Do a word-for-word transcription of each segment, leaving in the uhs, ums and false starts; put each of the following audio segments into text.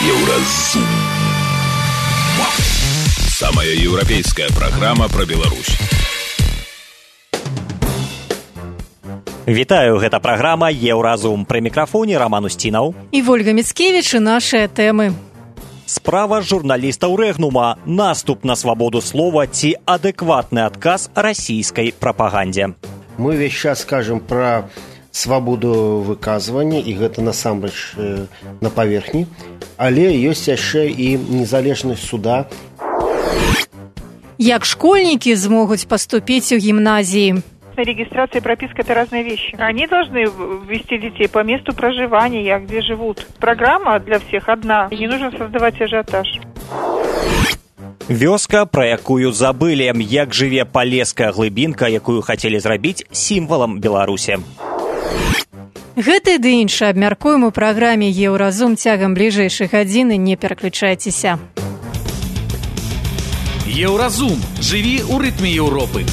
Еўразум. Самая европейская программа про Беларусь. Вітаю, гэта праграма «Еўразум». Пры мікрафоне Роман Устінаў і Вольга Міцкевіч, і нашыя тэмы. Справа журналістаў Рэгнума, наступ на свабоду слова ці адэкватны адказ расійскай прапагандзе. Мы весь час скажем про свабоду выказвання, і гэта насамрэч на паверхні, але ёсць яшчэ і незалежнасць суда. Як школьнікі змогуць паступіць у гімназіі? Регистрация и прописка – это разные вещи. Они должны ввести детей по месту проживания, где живут. Программа для всех одна, и не нужно создавать ажиотаж. Вёска, пра якую забылі, як жыве палеская глыбінка, якую хацелі зрабіць сімвалам Беларусі. Гэта ды іншае абмяркуем у праграме «Еўразум» цягам бліжэйшай гадзіны. Не пераключайцеся. Еўразум. Жыві ў рытме Еўропы.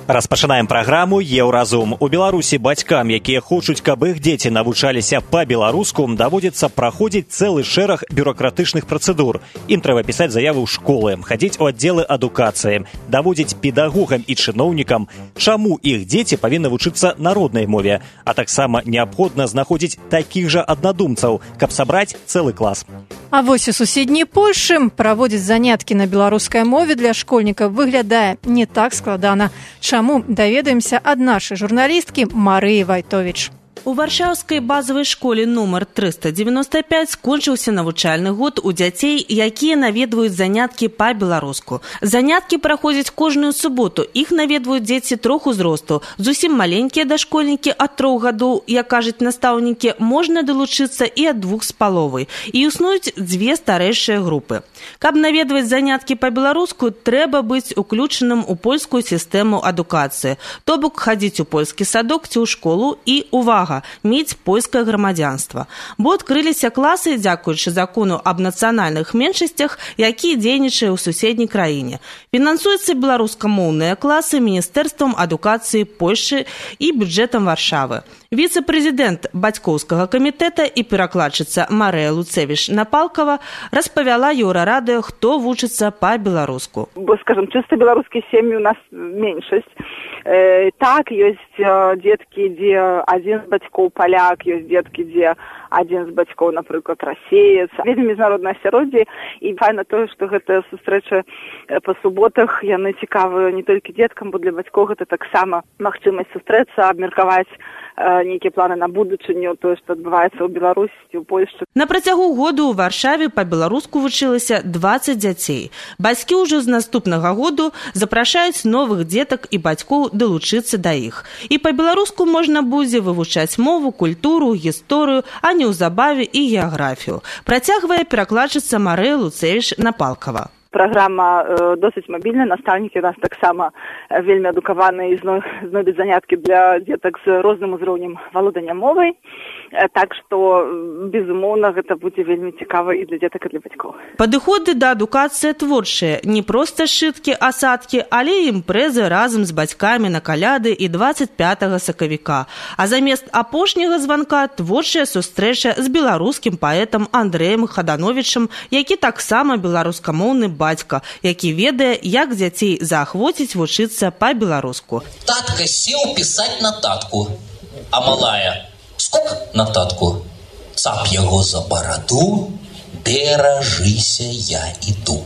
Распачынаем праграму «Еўразум». У Беларусі бацькам, якія хочуць, каб іх дзеці навучаліся па-беларуску, даводзіцца праходзіць цэлы шэраг бюракратычных працэдур. Ім трэба пісаць заявы ў школы, хадзіць у аддзелы адукацыі, даводзіць педагогам і чыноўнікам, чаму іх дзеці павінны вучыцца на роднай мове, а таксама неабходна знаходзіць такіх жа аднадумцаў, каб сабраць цэлы клас. А вось у суседняй Польшы праводзіць заняткі на беларускай мове для школьнікаў выглядае не так складана. Чаму, даведаемся ад нашай журналісткі Марыі Вайтовіч. У варшаўскай базавай школе нумар трыста дзевяноста пяць скончыўся навучальны год у дзяцей, якія наведваюць заняткі па-беларуску. Заняткі праходзяць кожную суботу. Іх наведваюць дзеці трох узросту. Зусім маленькія дашкольнікі ад трох гадоў, як кажуць настаўнікі, можна далучыцца і ад двух з паловай. І існуюць дзве старэйшыя групы. Каб наведваць заняткі па-беларуску, трэба быць уключаным у польскую сістэму адукацыі. То бок хадзіць у польскі садок ці ў школу і, увага, мець польскае грамадзянства. Бо адкрыліся класы, дзякуючы закону аб нацыянальных меншасцях, які дзейнічае ў суседняй краіне. Фінансуюцца беларускамоўныя класы Міністэрствам адукацыі Польшы і бюджэтам Варшавы. Віцэ-прэзідэнт бацькоўскага камітэта і перакладчыца Марыя Луцевіч-Напалкава распавяла Еўрарадыё, хто вучыцца па-беларуску. Бо, скажем, чисто белорусские семьи у нас меньшесть. Э, так, есть э, детки, где один з бацькоў поляк, есть детки, где один з бацькоў, напрыклад, расеец. Вельмі міжнароднае асяроддзе, і файна тое, што гэтая сустрэча па суботах, яны цікавыя не толькі дзеткам, бо для бацькоў гэта таксама магчымасць сустрэцца, абмеркаваць э, нейкія планы на будучыню, тое, што адбываецца ў Беларусі, ў Польшчы. На працягу году ў Варшаве па-беларуску вучылася дваццаць дзяцей. Бацькі ўжо з наступнага году запрашаюць новых дзетак і бацькоў далучыцца да іх. І па-беларуску можна будзе вывучаць мову, культуру, гісторыю, а неўзабаве і геаграфію. Працягвае перакладчыца Марыя Луцевіч-Напалкава. Праграма э, досыць мабільная, настаўнікі у нас таксама вельмі адукаваныя і знойдуць заняткі для дзетак з розным узроўнем валодання мовай. Э, так што, безумоўна, гэта будзе вельмі цікава і для дзетак, і для бацькоў. Падыходы да адукацыі творчыя. Не проста шыткі, асадкі, але імпрэзы разам з бацькамі на каляды і дваццаць пятага сакавіка. А замест апошняга званка творчая сустрэча з беларускім паэтам Андрэем Хадановічам, які таксама беларускамоўны бацька, які ведае, як дзяцей заахвоціць вучыцца па-беларуску. Татка сеў пісаць нататку, а малая скок нататку, цап яго за бараду, беражыся, я іду.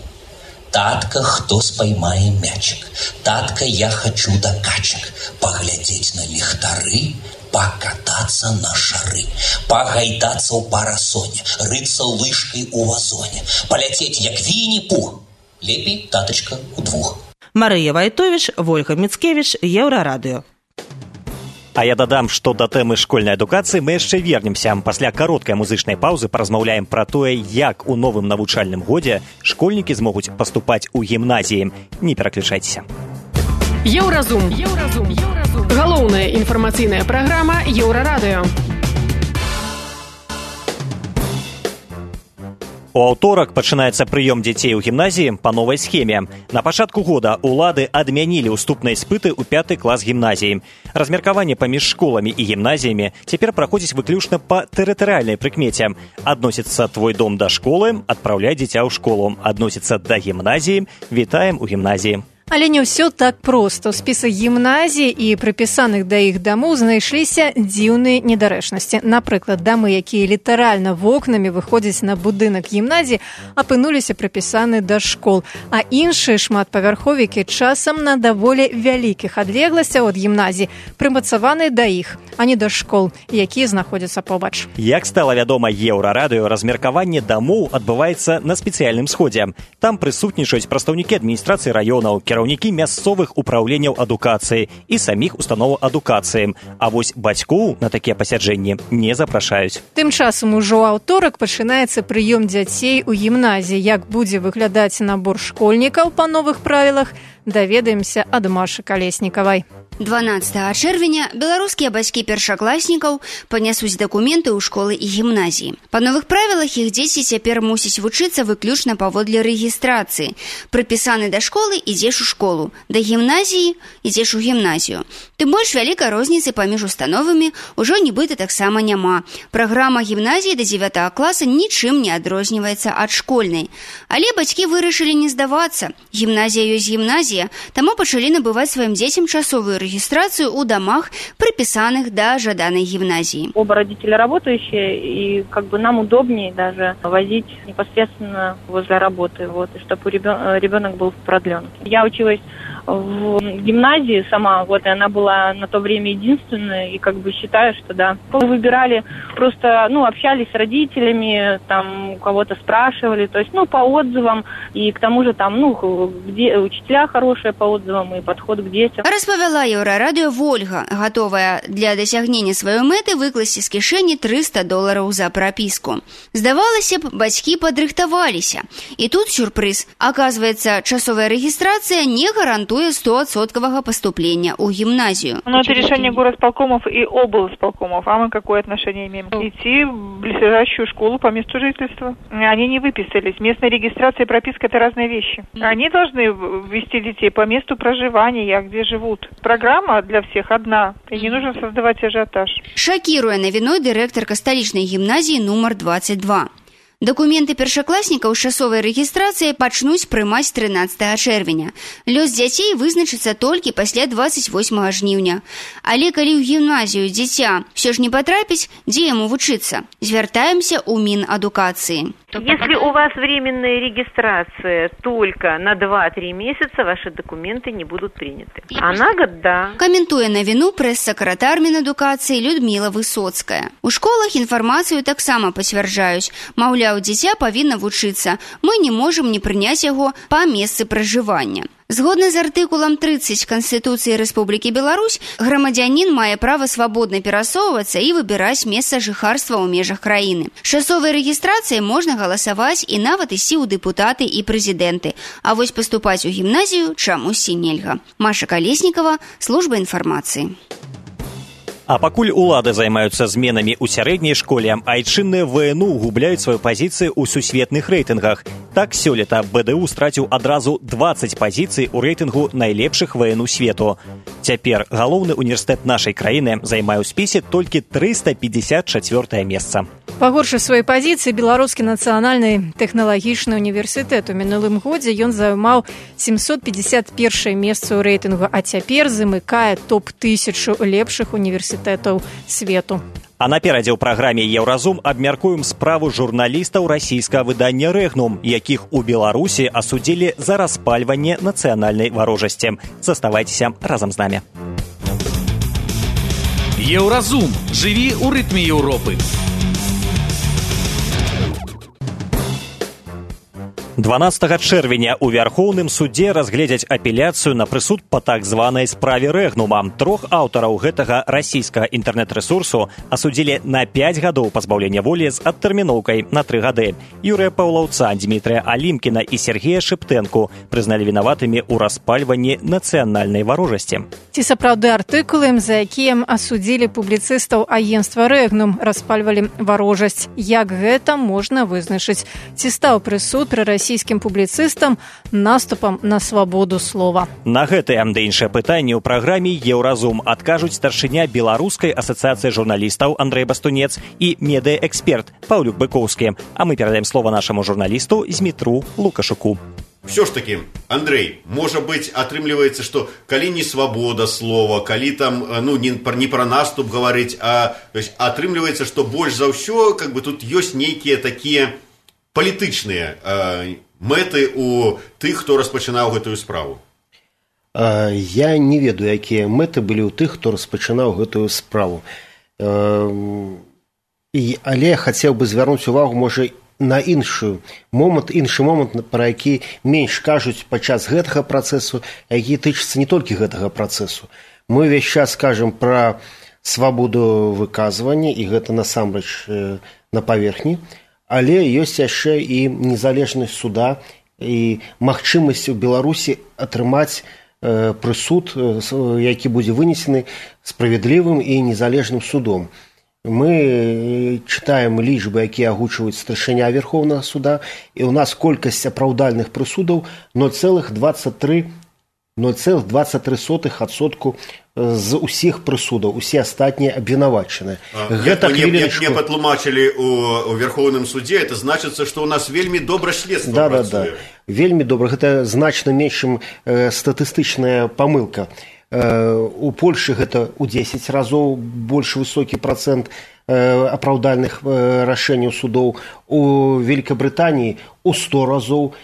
Татка, хто спаймае мячик? Татка, я хочу до качак, паглядзець на ліхтары, покататься на шары, погайдаться у парасоне, рыться лыжкой у вазоне, полететь як Винни-Пух. Лепей, таточка, удвух. Марыя Вайтовіч, Вольга Міцкевіч, Еўрарадыё. А я дадам, што да тэмы школьнай адукацыі мы яшчэ вернемся. Пасля кароткай музычнай паўзы паразмаўляем пра тое, як у новым навучальным годзе школьнікі змогуць паступаць у гімназіі. Не пераключайцеся. Еўразум. Еўразум. Еўразум. Галоўная інфармацыйная праграма Еўрарадыё. У аўторак пачынаецца прыём дзяцей у гімназіі па новай схеме. На пачатку года улады адмянілі ўступныя іспыты ў пяты клас гімназіі. Размеркаванне паміж школамі і гімназіямі цяпер праходзіць выключна па тэрытарыяльнай прыкмеце. Адносіцца твой дом да школы, адпраўляй дзіця ў школу. Адносіцца да гімназіі, вітаем у гімназіі. Але не ўсё так проста. У спісах гімназій і прыпісаных да іх дамоў знайшліся дзіўныя недарэчнасці. Напрыклад, дамы, якія літаральна вокнамі выходзяць на будынак гімназіі, апынуліся прыпісаны да школ. А іншыя шматпавярховікі часам на даволі вялікіх адлегласцях ад гімназій прымацаваны да іх, а не да школ, якія знаходзяцца побач. Як стала вядома Еўрарадыё, размеркаванне дамоў адбываецца на спецыяльным сходзе. Там прысутнічаюць прадстаўнікі адміністрацыі раёнаў, кіраўнікі мясцовых упраўленняў адукацыі і саміх установаў адукацыі. А вось бацькоў на такія пасяджэнні не запрашаюць. Тым часам ужо аўторак пачынаецца прыём дзяцей у гімназіі. Як будзе выглядаць набор школьнікаў па новых правілах, даведаемся ад Машы Калеснікавай. дванаццатага чэрвеня беларускія бацькі першакласнікаў панясуць дакументы ў школы і гімназіі. Па новых правілах іх дзеці цяпер мусяць вучыцца выключна паводле рэгістрацыі. Прыпісаны да школы ідзеш у школу, да гімназіі ідзеш у гімназію. Тым больш вялікай розніцы паміж установамі ўжо нібыта таксама няма. Праграма гімназіі да дзевятага класа нічым не адрозніваецца ад школьнай. Але бацькі вырашылі не здавацца. Гімназія ёсць гімназія, таму пачалі набываць сваім дзецям часовую регистрацию у домах, приписанных до жаданной гимназии. Оба родителя работающие, и как бы нам удобнее даже возить непосредственно возле работы, вот, и чтобы ребенок был в продленке. Я училась в гимназии сама, вот, и она была на то время единственная, и как бы считаю, что да. Мы выбирали, просто, ну, общались с родителями, там, у кого-то спрашивали, то есть, ну, по отзывам, и к тому же там, ну, где учителя хорошие по отзывам, и подход к детям. Распавяла Еўрарадыё Вольга, готовая для дасягнення сваёй мэты выкласці з кішэні трыста долараў за прапіску. Здавалася б, бацькі падрыхтаваліся. І тут сюрпрыз. Оказывается, часовая регистрация не гарантуе стопроцентного поступления у гимназию. Но это решение горосполкомов и облсполкомов. А мы какое отношение имеем? Идти в близлежащую школу по месту жительства. Они не выписались. Местная регистрация и прописка – это разные вещи. Они должны ввести детей по месту проживания, где живут. Программа для всех одна, и не нужно создавать ажиотаж. Шокируя навіной дырэктарка сталічнай гімназіі нумар двадцать два. Дакументы першакласнікаў з часовай рэгістрацыі пачнуць прымаць трынаццатага чэрвеня. Лёс дзяцей вызначыцца толькі пасля двадцать восьмага жніўня. Але калі ў гімназію дзіця ўсё ж не патрапіць, дзе яму вучыцца? Звяртаемся ў Мінадукацыі. Если у вас временная регистрация только на два-три месяца, ваши документы не будут приняты. А на год – да. Каментуе навіну прэс-сакратар Мінадукацыі Людмила Высоцкая. У школах інфармацыю таксама пацвярджаюць. Маўляў, дзіця павінна вучыцца. Мы не можам не прыняць яго па месцы пражывання. Згодна з артыкулам тридцать Канстытуцыі Рэспублікі Беларусь, грамадзянін мае права свабодна перасоўвацца і выбіраць месца жыхарства ў межах краіны. З часовай рэгістрацыяй можна галасаваць і нават ісці ў дэпутаты і прэзідэнты. А вось паступаць у гімназію чамусьці нельга. Маша Калеснікава, служба інфармацыі. А пакуль улады займаюцца зменамі ў сярэдняй школе, айчынныя ВНУ губляюць сваю пазіцыю ў сусветных рэйтынгах. Так, сёлета БДУ страціў адразу двадцать пазіцый у рэйтынгу найлепшых ВНУ свету. Цяпер галоўны універсітэт нашай краіны займае ў спісе толькі трыста пятьдесят чавёртае месца. Пагоршыў свае пазіцыі беларускі нацыянальны тэхналагічны універсітэт. У мінулым годзе ён займаў семьсот пятьдесят первое месца ў рэйтынгу, а цяпер замыкае топ тысячу лепшых універсітэтаў свету. А наперадзе ў праграме «Еўразум» абмяркуем справу журналістаў расійскага выдання «Рэгнум», якіх у Беларусі асудзілі за распальванне нацыянальнай варожасці. Заставайцеся разам з намі. Еўразум. Жыві ў рытме Еўропы. дванаццатага чэрвеня у Вярхоўным судзе разгледзяць апеляцыю на прысуд па так званай справе Рэгнума. Трох аўтараў гэтага расійскага інтэрнэт-рэсурсу асудзілі на пяць гадоў пазбаўлення волі з адтэрміноўкай на тры гады. Юрыя Паўлаўца, Дмітрыя Алімкіна і Сергея Шыптэнку прызналі вінаватымі ў распальванні нацыянальнай варожасці. Ці сапраўды артыкулы, за якія асудзілі публіцыстаў агенцтва Рэгнум, распальвалі варожасць? Як гэта можна вызначыць? Ці стаў прысуд пры расійскім публіцыстам наступам на свабоду слова? На гэтыя ды іншыя пытанні ў праграме «Еўразум» адкажуць старшыня Беларускай асацыяцыі журналістаў Андрэй Бастунец і медыаэксперт Паўлюк Быкоўскі. А мы перадаем слова нашаму журналісту Змітру Лукашуку. Все ж таки, Андрей, может быть, атрымліваецца, что калі не свобода слова, калі там, ну, не, не про наступ говорить, а то есть, атрымліваецца, что больш за ўсё, как бы тут ёсць нейкія такія палітычныя э, мэты у тых, хто распачынаў гэтую справу. А, я не ведаю, якія мэты былі ў тых, хто распачынаў гэтую справу. А, і, але я хацеў бы звярнуць увагу, можа, на іншы момант, іншы момант, пра які менш кажуць падчас гэтага працэсу, які тычыцца не толькі гэтага працэсу. Мы ўвесь час кажам пра свабоду выказвання, і гэта насамрэч на паверхні, але ёсць яшчэ і незалежнасць суда і магчымасць у Беларусі атрымаць прысуд, які будзе вынесены справядлівым і незалежным судом. Мы читаем лічбы, якія агучваюць старшыня Верховнага суда, і ў нас колькасць апраўдальных прысудаў ноль цэлых дваццаць тры адсотка з усіх прысудаў, усе астатнія абвінавачаныя. Гэта мне, мне патлумачылі у, у Верховным суде, это значыцца, што ў нас вельмі добра следства да, працуе. Да, да. Вельмі добра. Гэта значна меншым э, статыстычная памылка. У Польшы гэта ў дзесяць разоў больш высокі працэнт апраўдальных рашэнняў судоў, у Великабрытаніі ў сто разоў,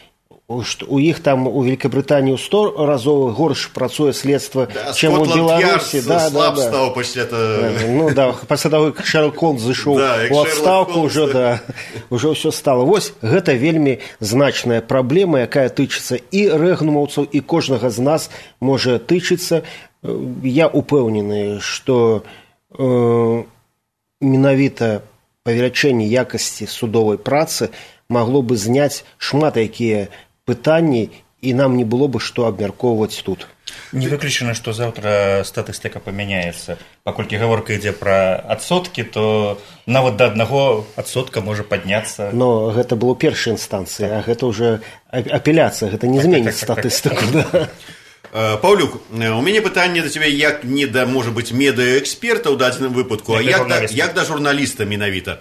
у іх там у Великабрытаніі ў сто разоў горш працуе следства, да, чым у Беларусі. Да, слаб да, стаў пасля да. Ну да, пасля таго, як Шерлок Холмс зышоў да, у адстаўку, ўжо да, ўжо ўсё стала. Вось гэта вельмі значная праблема, якая тычыцца і рэгнумаўцаў, і кожнага з нас можа тычыцца. Я упэўнены, што э, менавіта павелічэнне якасці судовай працы магло бы зняць шмат якія пытанні, і нам не было бы што абмяркоўваць тут. Не выключана, што заўтра статыстыка памяняецца. Паколькі гаворка ідзе пра адсоткі, то нават да аднаго адсотка можа падняцца. Но гэта было першай інстанцыі, так. А гэта ўжо апеляцыя, гэта не так, зменіць так, так, статыстыку. Так, так. Да. Паўлюк, у мяне пытанне да цябе як не да, можа быць, медыаэксперта ў дадзеным выпадку, а як да, як да журналіста менавіта.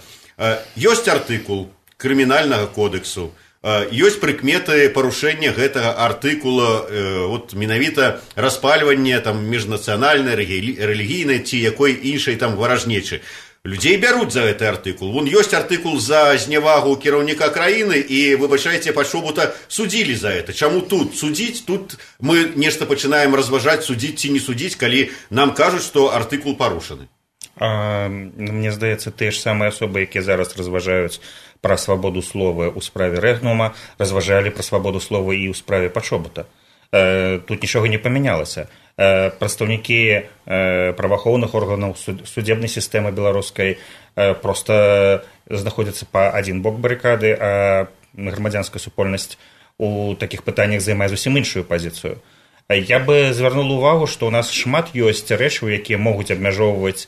Ёсць артыкул крымінальнага кодексу, ёсць прыкметы парушэння гэтага артыкула, вот менавіта распальванне там міжнацыянальнай, рэлігійнай ці якой іншай там варажнечы. Людзей бяруць за гэты артыкул. Вон ёсць артыкул за знявагу кіраўніка краіны, і, выбачайце, пачобута судзілі за гэта. Чаму тут судзіць? Тут мы нешта пачынаем разважаць, судзіць ці не судзіць, калі нам кажуць, што артыкул парушаны. А, мне здаецца, тыя ж самыя асобы, якія зараз разважаюць пра свабоду слова ў справе Рэгнума, разважалі пра свабоду слова і ў справе пачобута. Тут нічога не памянялася. Прадстаўнікі праваахоўных органаў судебнай сістэмы беларускай проста знаходзяцца па адзін бок барыкады, а грамадзянская супольнасць у такіх пытаннях займае зусім іншую пазіцыю. Я бы звярнуў увагу, што ў нас шмат ёсць рэчаў, якія могуць абмяжоўваць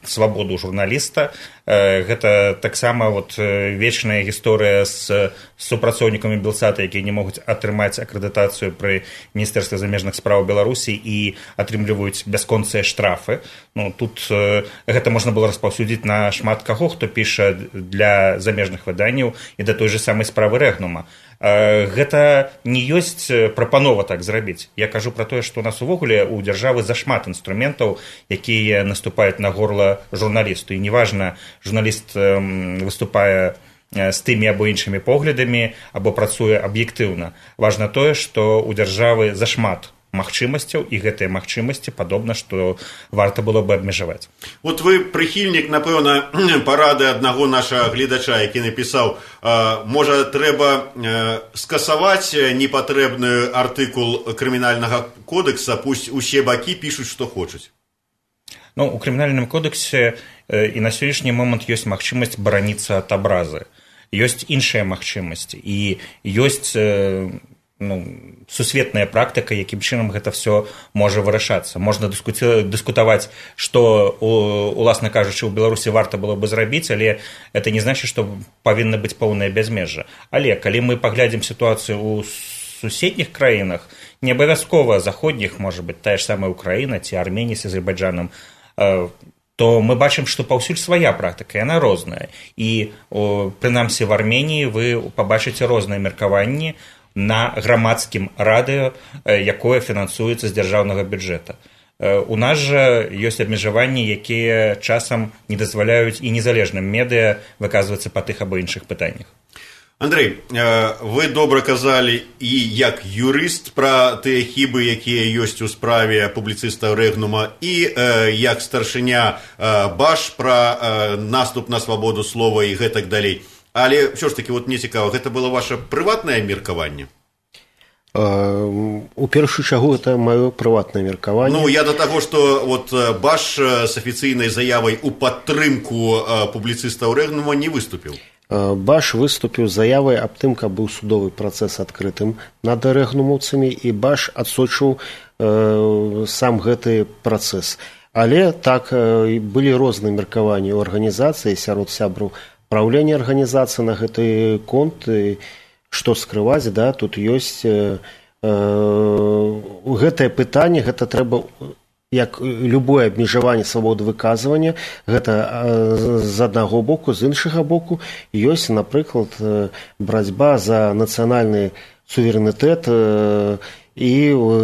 свабоду журналіста. Гэта таксама вот вечная гісторыя з супрацоўнікамі Белсата, якія не могуць атрымаць акрэдытацыю пры Міністэрстве замежных спраў Беларусі і атрымліваюць бясконцыя штрафы. Ну, тут гэта можна было распаўсюдзіць на шмат каго, хто піша для замежных выданняў і да той же самай справы Рэгнума. Гэта не ёсць прапанова так зрабіць. Я кажу пра тое, што у нас увогуле у дзяржавы зашмат інструментаў, якія наступаюць на горла журналісту. І неважна, журналіст выступае з тымі або іншымі поглядамі, або працуе аб'ектыўна. Важна тое, што у дзяржавы зашмат магчымасцяў, і гэтыя магчымасці падобна, што варта было бы абмежаваць. Вот вы прыхільнік, напэўна, парады аднаго нашага гледача, які напісаў, можа, трэба скасаваць непатрэбны артыкул крымінальнага кодекса, пусть усе бакі пішуць, што хочуць. Ну, у крымінальным кодексе і на сённяшні момант ёсць магчымасць бараніцца ад абразы. Ёсць іншыя магчымасці, і ёсць ну, сусветная практыка, якім чынам гэта все можа вырашацца. Можна дыскутаваць, што, уласна кажучы, у Беларусі варта было бы зрабіць, але это не значыць, што павінна быць поўнае бязмежжа. Але калі мы паглядзім сітуацыю ў суседніх краінах, не абавязкова заходніх, можа быць, тая ж самая Украіна ці Арменія з Азербайджанам, то мы бачым, што паўсюль свая практыка, яна розная. І, прынамсі, в Арменіі вы пабачыце розныя меркаванні на грамадскім радыё, якое фінансуецца з дзяржаўнага бюджэта. У нас жа ёсць абмежаванні, якія часам не дазваляюць і незалежным медыа выказвацца па тых або іншых пытаннях. Андрэй, вы добра казалі і як юрыст пра тыя хібы, якія ёсць у справе публіцыста Рэгнума, і як старшыня Баш пра наступ на свабоду слова і гэтак далей. Але ўсё ж такі, вот мне цікава, гэта было ваше прыватнае меркаванне? У першую чаргу это маё прыватнае меркаванне. Ну, я да таго, што вот Баш з афіцыйнай заявай у падтрымку публіцыста Рэгнума не выступіў. Баш выступіў з заявай аб тым, каб быў судовы працэс адкрытым над рэгнумаўцамі, і Баш адсочыў э, сам гэты працэс. Але так э, былі розныя меркаванні ў арганізацыі сярод сябраў праўлення арганізацыі на гэты конт. І, што скрываць, да, тут ёсць э, э, гэтае пытанне, гэта трэба, як любое абмежаванне свабоды выказвання, гэта з аднаго боку, з іншага боку ёсць, напрыклад, барацьба за нацыянальны суверэнітэт, і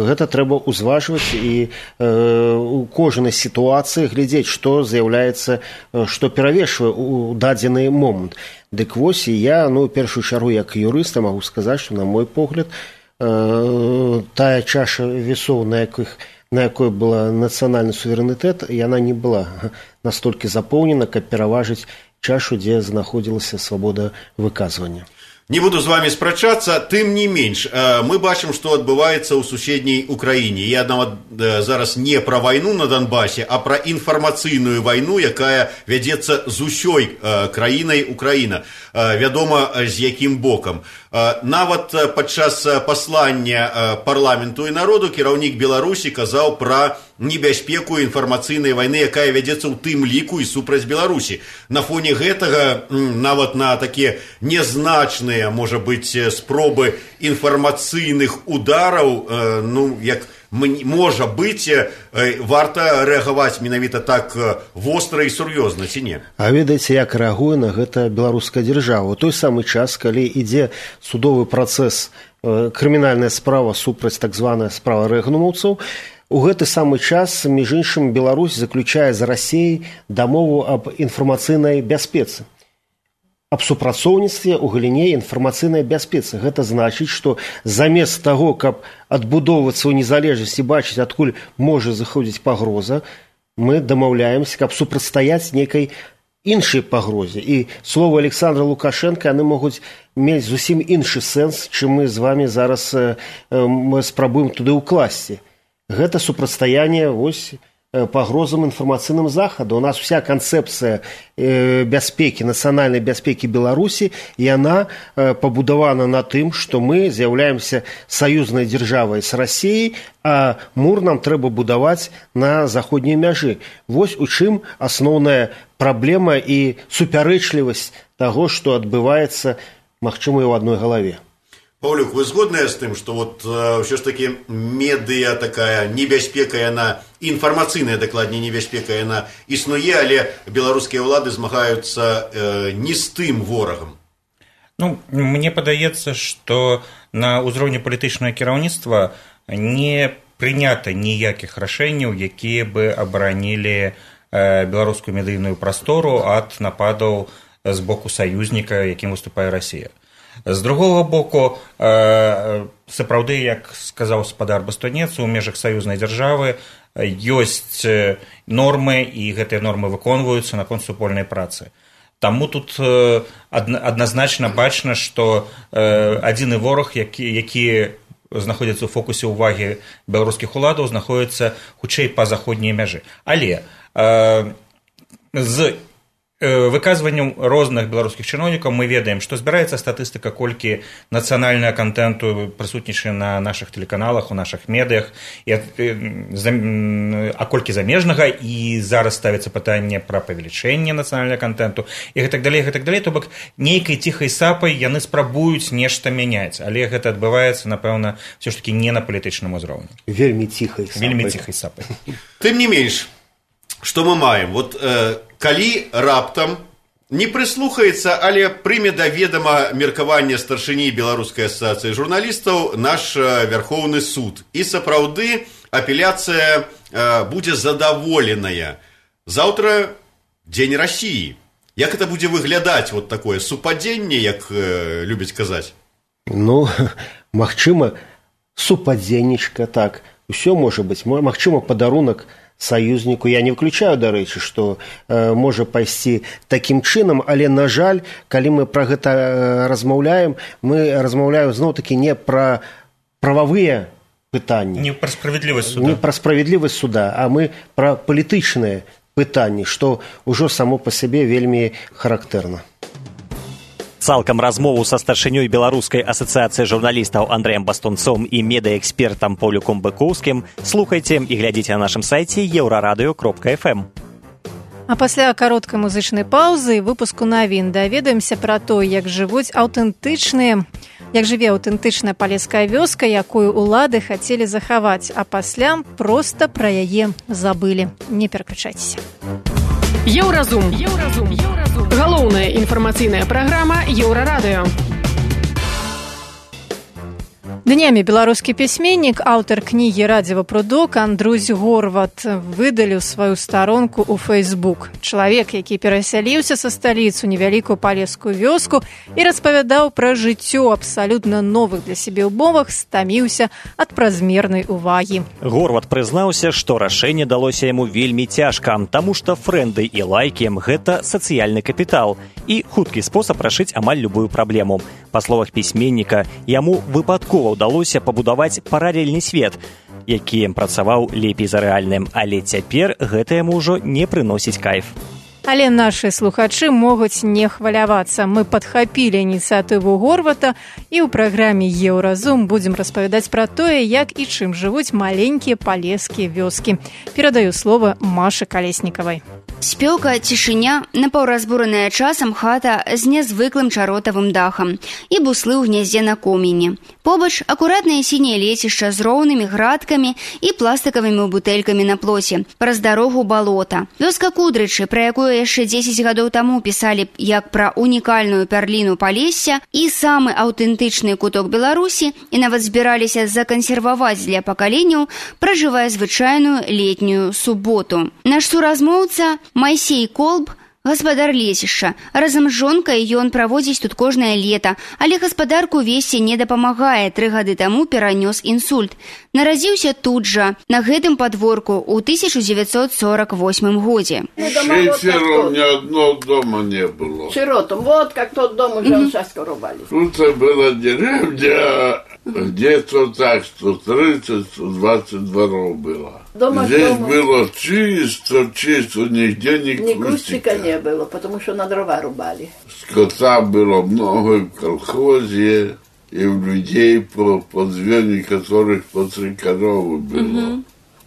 гэта трэба ўзважваць і у кожнай сітуацыі глядзець, што з'яўляецца, што перавешвае ў дадзены момант. Дык вось, і я, ну, першую чаргу як юрыста магу сказаць, што, на мой погляд, тая чаша весоў, на якіх на якой была нацыянальны суверэнітэт, яна не была настолькі запоўнена, каб пераважыць чашу, дзе знаходзілася свабода выказвання. Не буду з вами спрачацца, тым не менш, мы бачым, што адбываецца ў суседняй Украіне. Я нават зараз не пра вайну на Донбасе, а пра інфармацыйную вайну, якая вядзецца з усёй краінай Украіна. Вядома, з якім бокам. Нават падчас паслання парламенту і народу кіраўнік Беларусі казаў пра небяспеку інфармацыйнай вайны, якая вядзецца ў тым ліку і супраць Беларусі. На фоне гэтага, нават на такія нязначныя, можа быць, спробы інфармацыйных удараў, ну, як можа быць, варта рэагаваць менавіта так востра і сур'ёзна, ці не? А ведаеце, як рэагуе на гэта беларуская дзяржава? У той самы час, калі ідзе судовы працэс, крымінальная справа супраць так званая справа рэгнумаўцаў, у гэты самы час, між іншым, Беларусь заключае з Расіяй дамову аб інфармацыйнай бяспецы. Аб супрацоўніцтве ў галіне інфармацыйнай бяспецы. Гэта значыць, што замест таго, каб адбудоўвацца ў незалежнасці, бачыць, адкуль можа заходзіць пагроза, мы дамаўляемся, каб супрацьстаяць нейкай іншай пагрозе. І словы Александра Лукашенка, яны могуць мець зусім іншы сэнс, чым мы з вами зараз э, мы спрабуем туды ўкласці. Гэта супрацьстаянне вось пагрозам інфармацыйным захаду. У нас вся канцэпцыя э, бяспекі, нацыянальнай бяспекі Беларусі, яна э, пабудавана на тым, што мы з'яўляемся саюзнай дзяржавай з Расіяй, а мур нам трэба будаваць на заходняй мяжы. Вось у чым асноўная праблема і супярэчлівасць таго, што адбываецца, магчыма, і ў адной галаве. Паўлюк, вы згодныя з тым, што вот ўсё ж такі медыа такая небяспека, яна, інфармацыйная дакладней небяспека, яна існуе, але беларускія ўлады змагаюцца э, не з тым ворагам? Ну, мне падаецца, што на ўзроўні палітычнага кіраўніцтва не прынята ніякіх рашэнняў, якія бы абаранілі э, беларускую медыйную прастору ад нападаў з боку саюзніка, якім выступае Расія. З другого боку, сапраўды, як сказаў спадар Бастунец, у межах саюзнай дзяржавы ёсць нормы, і гэтыя нормы выконваюцца наконт супольнай працы. Таму тут адназначна бачна, што адзіны вораг, які, які знаходзіцца ў фокусе ўвагі беларускіх уладаў, знаходзіцца хутчэй па заходняй мяжы. Але э, з выказваннем розных беларускіх чыноўнікаў мы ведаем, што збіраецца статыстыка, колькі нацыянальнага кантэнту прысутнічае на нашых тэлеканалах, у нашых медыях, і, а колькі замежнага, і зараз ставіцца пытанне пра павелічэнне нацыянальнага кантэнту, і гэтак далей, гэтак далей, то бок нейкай ціхай сапай яны спрабуюць нешта мяняць, але гэта адбываецца, напэўна, все ж таки не на палітычным узроўні. Вельмі ціхай сапай. Вельмі ціхай сапай. Тым не менш, што мы маем? Вот, э, калі раптам не прыслухаецца, але прыме да ведама меркаванне старшыні Беларускай асацыяцыі журналістаў наш Вярхоўны суд. І сапраўды апеляцыя э, будзе задаволеная. Заўтра дзень Расіі. Як это будзе выглядаць, вот такое супадзенне, як э, любяць казаць? Ну, магчыма, супадзеннічка, так. Усё можа быць. Магчыма, падарунак саюзніку. Я не выключаю, дарэчы, што э, можа пайсці такім чынам, але, на жаль, калі мы пра гэта э, размаўляем, мы размаўляем зноў-такі не пра прававыя пытанні. Не пра справядлівасць суда. Не пра справядлівасць суда, а мы пра палітычныя пытанні, што ўжо само па сабе вельмі характэрна. Цалкам размову са старшынёй Беларускай асацыяцыі журналістаў Андрэем Бастунцом і медыаэкспертам Паўлюком Быкоўскім слухайце і глядзіце на нашым сайце еўрарадыё кропка эф эм. А пасля кароткай музычнай паўзы і выпуску навін даведаемся пра то, як жывуць аўтэнтычныя, як жыве аўтэнтычная палеская вёска, якую ўлады хацелі захаваць, а пасля проста пра яе забылі. Не пераключайцеся. Еўразум. Еўразум. Еўразум. Галоўная інфармацыйная праграма Еўрарадыё. Днямі беларускі пісьменнік, аўтар кнігі «Радзіва прудок» Андрусь Горват выдаліў сваю старонку ў Фэйсбук. Чалавек, які перасяліўся са сталіцу невялікую палескую вёску і распавядаў пра жыццё абсалютна новых для сябе ўмовах, стаміўся ад празмернай увагі. Горват прызнаўся, што рашэнне далося яму вельмі цяжка, таму што фрэнды і лайкі – гэта сацыяльны капітал і хуткі спосаб рашыць амаль любую праблему. Па словах пісьменніка, яму выпадкова ўдалося пабудаваць паралельны свет, які працаваў лепей за рэальным, але цяпер гэта яму ўжо не прыносіць кайф. Але нашы слухачы могуць не хвалявацца. Мы падхапілі ініцыятыву Горвата і ў праграме «Еўразум» будзем распавядаць пра тое, як і чым жывуць маленькія палескія вёскі. Перадаю слова Машы Калеснікавай. Спёка, цішыня, напаўразбураная часам хата з нязвыклым чаротавым дахам і буслы ў гняздзе на коміне. Побач акуратнае сіняе лецішча з роўнымі градкамі і пластыкавымі бутэлькамі на плоце. Праз дарогу балота. Вёска Кудрычы, пра якую яшчэ дзесяць гадоў таму пісалі як пра унікальную пярліну Палесся і самы аўтэнтычны куток Беларусі і нават збіраліся закансерваваць для пакаленняў, пражывае звычайную летнюю суботу. Наш суразмоўца Майсей Колб, гаспадар лесішча. Разам з жонкай ён праводзіць тут кожнае лета, але гаспадарку весці не дапамагае. Тры гады таму перанёс інсульт. Нарадзіўся тут жа, на гэтым падворку, ў тысяча дзевяцьсот сорок восьмым годзе. Шестеро, ни одного дома не было. Сиротом. Вот как тот дом уже mm-hmm. сейчас рубали. Тут была деревня, где-то так, сто тридцать - сто двадцать дворов было. Дома Здесь дома. было чисто, чисто, нигде ни Ни кустика. кустика не было, потому что на дрова рубали. Скота было много и в колхозе, и у людей по, по две некоторых по три коровы было. Mm-hmm.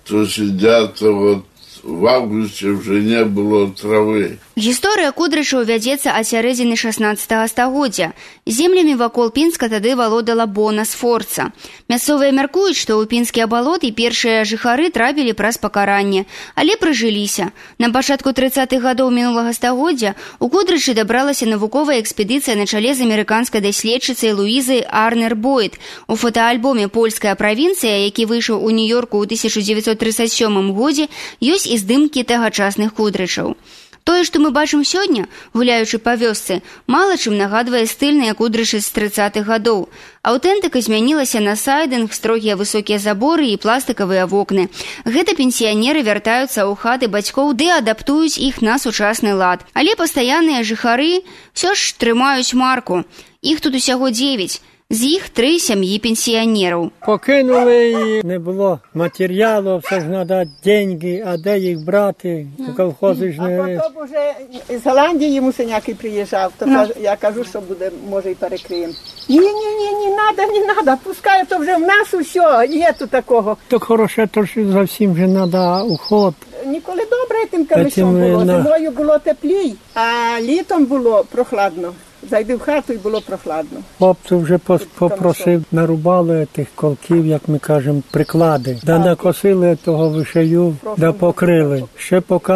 То сидят вот в августе уже не было травы. Гісторыя Кудрычаў вядзецца ад сярэдзіны шаснаццатага стагоддзя. Землямі вакол Пінска тады валодала Бона Сфорца. Мясцовыя мяркуюць, што ў пінскія балоты першыя жыхары трапілі праз пакаранне, але прыжыліся. На пачатку трыццатых гадоў мінулага стагоддзя у Кудрычы дабралася навуковая экспедыцыя на чале з амерыканскай даследчыцай Луізай Арнер Бойд. У фотаальбоме «Польская правінцыя», які выйшаў у Нью-Йорку ў тысяча дзевяцьсот трыццаць сёмым годзе, ёсць і здымкі тагачасных Кудрычаў. Тое, што мы бачым сёння, гуляючы па вёсцы, мала чым нагадвае стыльныя кудрышы з трыццатых гадоў. Аўтэнтыка змянілася на сайдынг, строгія высокія заборы і пластыкавыя вокны. Гэта пенсіянеры вяртаюцца ў хаты бацькоў ды адаптуюць іх на сучасны лад. Але пастаянныя жыхары ўсё ж трымаюць марку. Іх тут усяго дзевяць. З іх три сім'ї пенсіянерів. Покинули, не було матеріалу, все ж треба деньги, а де їх брати? У колхози ж не... А потім вже з Голландії мусиняки приїжджав, то no. я кажу, що буде, може і перекриємо. Ні, ні, ні, не треба, не треба, пускай, то вже в нас усе, є тут такого. Так хороше, то ж зовсім же треба уход. Ніколи добре тим камишом було, на... зимою було теплій, а літом було прохладно. Зайди в хату і було прохладно. Хлопці вже попросив, нарубали тих колків, як ми кажемо, приклади. Да накосили того вишею, да покрили. Ще поки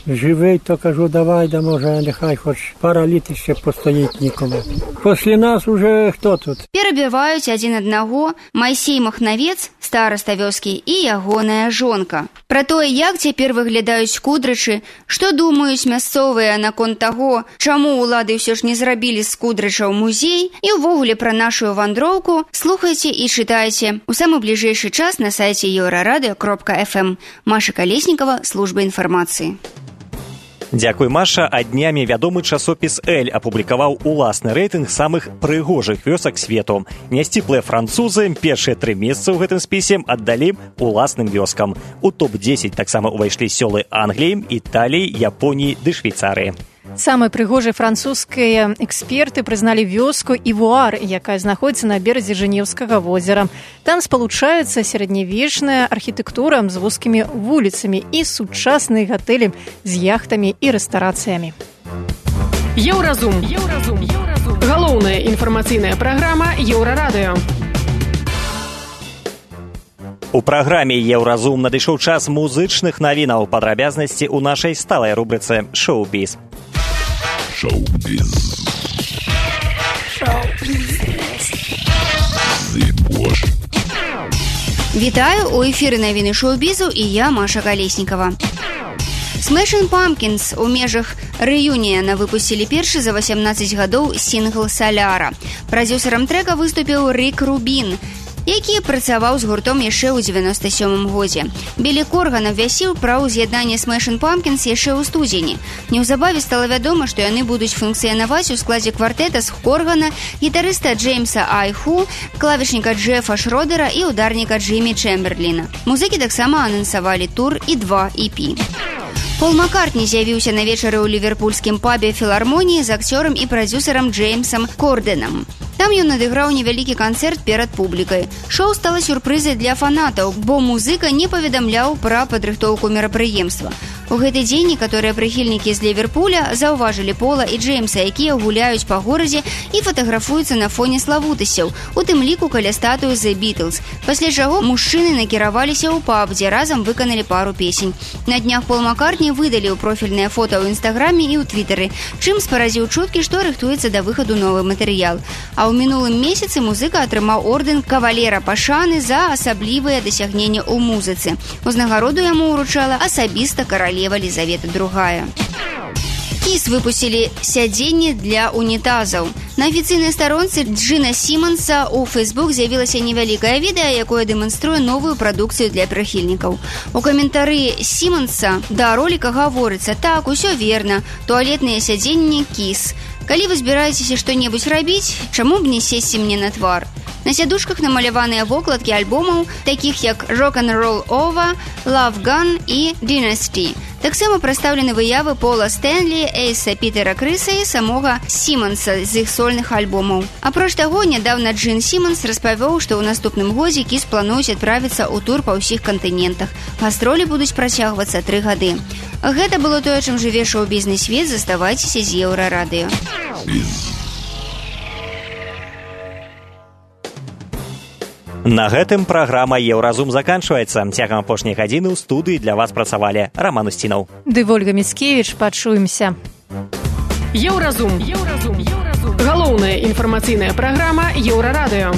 живий, то кажу, давай, да може, нехай хоч пара літ ще постоїть нікому. Після нас уже хто тут? Перебівають один одного Майсей Махнавец, староста вёскі, і ягоная жонка. Пра тое, як цяпер выглядаюць кудрычы, што думаюць мясцовыя наконт таго, чаму ўлады ўсё ж не зрабілі з кудрычаў музей, і ўвогуле пра нашу вандроўку слухайце і чытайце у самы бліжэйшы час на сайце еўрарадыё кропка эф эм. Маша Калеснікова, служба інфармацыі. Дзякуй, Маша. А днямі вядомы часопіс «Эль» апублікаваў уласны рэйтынг самых прыгожых вёсак свету. Нясціплыя французы першыя тры месцы ў гэтым спісе аддалі уласным вёскам. У топ дзесяць таксама ўвайшлі сёлы Англіі, Італіі, Японіі ды Швейцарыі. Самай прыгожай французскія эксперты прызналі вёску Івуар, якая знаходзіцца на беразе Жэнеўскага возера. Там спалучаюцца сярэднявечная архітэктура з вузкімі вуліцамі і сучасныя гатэлі з яхтамі і рэстарацыямі. Еўразум. Еўразум. Еўразум. Галоўная інфармацыйная праграма Еўрарадыё. У праграме «Еўразум» надышоў час музычных навінаў, падрабязнасці ў нашай сталай рубрыцы «Шоу-біз». Шоу-біз. Вітаю, у эфіры навіны шоу-бізу і я, Маша Калеснікова. Smashing Pumpkins у межах рэюніяна выпусцілі першы за васямнаццаць гадоў сінгл «Соляра». Прадзюсарам трэка выступіў Рік Рубін, які працаваў з гуртом яшчэ ў дзевяноста сёмым годзе. Білі Корган абвясціў пра ўз'яднанне Smashing Pumpkins яшчэ ў студзені. Неўзабаве стала вядома, што яны будуць функцыянаваць у складзе квартэта з Коргана, гітарыста Джеймса Айху, клавішніка Джефа Шродера і ударніка Джиммі Чэмберліна. Музыкі таксама анансавалі тур і два і пі. Пол Маккартні з'явіўся на вечары ў ліверпульскім пабе філармоніі з акцёрам і прадзюсарам Джеймсам Корденам. Там ён адыграў невялікі канцэрт перад публікай. Шоу стала сюрпрызай для фанатаў, бо музыка не паведамляў пра падрыхтоўку мерапрыемства. У гэты дзень некаторыя прыхільнікі з Ліверпуля заўважылі Пола і Джеймса, якія гуляюць па горадзе і фатаграфуюцца на фоне славутасцяў, у тым ліку каля статуі The Beatles. Пасля чаго мужчыны накіраваліся ў паб, дзе разам выканалі пару песень. На днях Пол Маккартні выдаліў профільныя фота ў інстаграме і ў твітары, чым спаразіў чуткі, што рыхтуецца да выхаду новы матэрыял. А ў мінулым месяцы музыка атрымаў ордэн кавалера пашаны за асаблівыя дасягненні ў музыцы. Узнагароду яму ўручала асабіста каралева Лізавета другая. Кіс выпусцілі сядзенні для унітазаў. На афіцыйнай старонцы Джина Сімонса ў Фейсбук з'явілася невялікае відэа, якое дэманструе новую прадукцыю для прыхільнікаў. У каментары Сімонса да роліка гаворыцца: «Так, усё верна, туалетныя сядзенні Кіс. Калі вы збіраецеся што-небудзь рабіць, чаму б не сесці мне на твар?» На сядушках намаляваныя вокладкі альбомаў, такіх як «Rock and Roll Over», «Love Gun» і «Dynasty». Таксама прадстаўлены выявы Пола Стэнлі, Эйса Пітера Крыса і самога Сімонса з іх сольных альбомаў. Апроч таго, нядаўна Джин Сімонс распавёў, што ў наступным годзе Кіс плануюць адправіцца ў тур па ўсіх кантынентах. Гастролі будуць працягвацца тры гады. Гэта было тое, чым жыве шоу-бізнес свет. Заставайцеся з Еўрарадыё. На гэтым праграма «Еўразум» заканчваецца. Цягам апошняй гадзіны ў студыі для вас працавалі Раман Усцінаў. Ды Вольга Міцкевіч, пачуемся. Еўразум. Еўразум. Галоўная інфармацыйная праграма Еўрарадыё.